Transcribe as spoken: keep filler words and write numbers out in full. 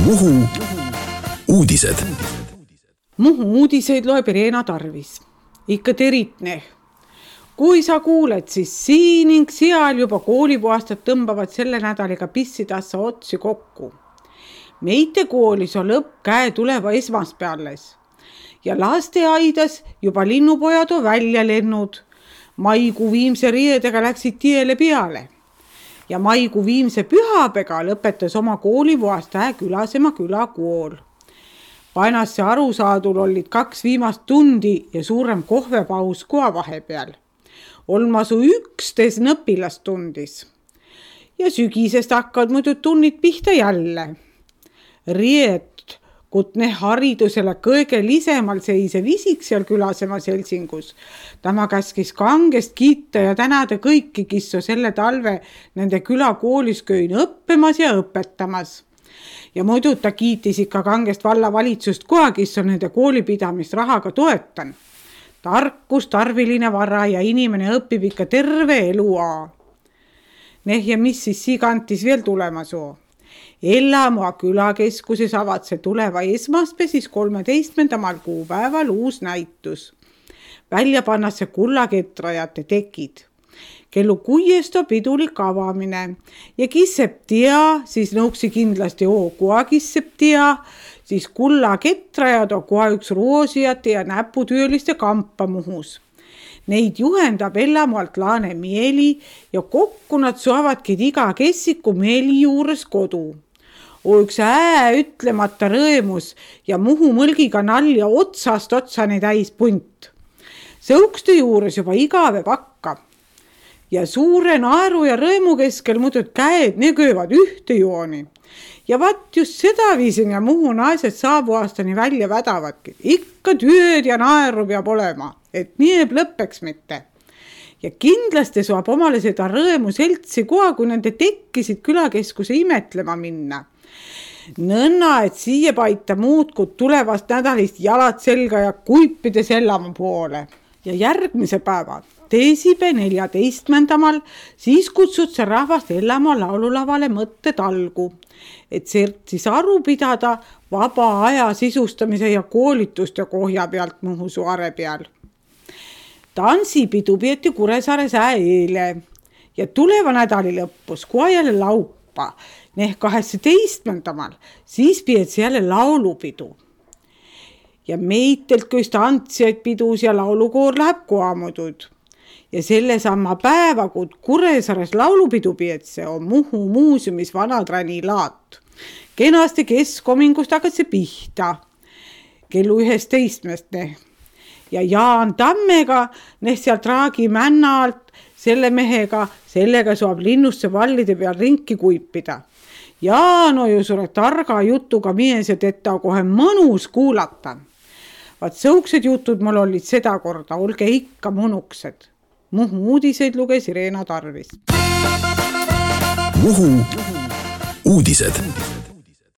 Muhu uudised. Muhu uudiseid loeb Irena Tarvis. Ikka teritne. Kui sa kuuled, siis siin ning seal juba koolipuhastad tõmbavad selle nädaliga pissidassa otsi kokku. Meite koolis on lõpp käe tuleva esmaspeales. Ja lasteaidas juba linnupojad on välja lennud. Maikuu viimse riiedega läksid tiele peale. Ja maikuu viimse pühapega lõpetas oma koolipuhast Külasema külakool. Painasse arusaadul olid kaks viimast tundi ja suurem kohvepaus koha vahepeal. Olmasu üksteist õpilast tundis. Ja sügisest hakkavad muidu tunnid pihta jälle. Riet, kutne haridusele kõige lisemal seisev isik seal Külasema seltsingus. Tema käskis kangest kiita ja tänada kõiki, kes on selle talve nende külakoolis köin õppimas ja õpetamas. Ja muidu ta kiitis ikka kangest vallavalitsust koha, kes on nende koolipidamist rahaga toetan. Tarkus, tarviline vara ja inimene õpib ikka terve eluaa. Neh ja mis siis siigantis veel tulemas on? Ellamoa külakeskuses avad see tuleva esmaspäev siis kolmeteistkümnendal kuupäeval uus näitus. Välja pannasse kullaketrajate tekid. Kellu kuiest on pidulik avamine ja kisseb tea, siis nõuksi kindlasti oo koha kisseb tea, siis kullaketrajad on koha üks roosijate ja näputööliste kampa Muhus. Neid juhendab Ellamoalt Laane Mieli ja kokku nad saavadki iga kessiku Mieli juures kodu. O üks ää ütlemata rõemus ja Muhu mõlgiga nalja otsast otsani täis punt. Sõukste juures juba igave pakka. Ja suure naeru ja rõemu keskel muudud käed negöövad ühte jooni. Ja vaat just seda viisin ja Muhu naised saabu aastani välja vädavadki. Ikka tööd ja naeru peab olema, et nii lõppeks mitte. Ja kindlasti saab omale seda rõemu seltsi koha, kui nende tekkisid külakeskuse imetlema minna. Nõnna, et siia paita muudkud tulevast nädalist jalad selga ja kuipides Ellamaa poole. Ja järgmise päeva, teisipäe neljateistkümnendal, siis kutsud sa rahvast Ellamaa laululavale mõtte talgu, et siis aru pidada vaba aja sisustamise ja koolituste kohja pealt Muhu saare peal. Tansipidu peeti Kuressaares eile ja tuleva nädali lõppus koha jälle laupa, neh kaheksateistkümnendal, siis peeti jälle laulupidu. Ja meitelt köist antsijaid pidus ja laulukoor läheb kohamudud. Ja selle sama päeva, kui Kuressaares laulupidu peetse, on Muhu muuseumis Vanaträni laat. Kenasti keskomingust hakkad see pihta. Kellu üheteistkümnest neh. Ja Jaan Tammega, neh sealt Raagi männa alt, selle mehega, sellega saab linnusse vallide peal rinki kuipida. Jaan on ju suure targa jutuga mies ja teda kohe mõnus kuulata. Vaat sõuksed jutud mul olid seda korda, olge ikka mõnuksed. Muhu uudiseid luges Irena Tarvis. Muhu uudised.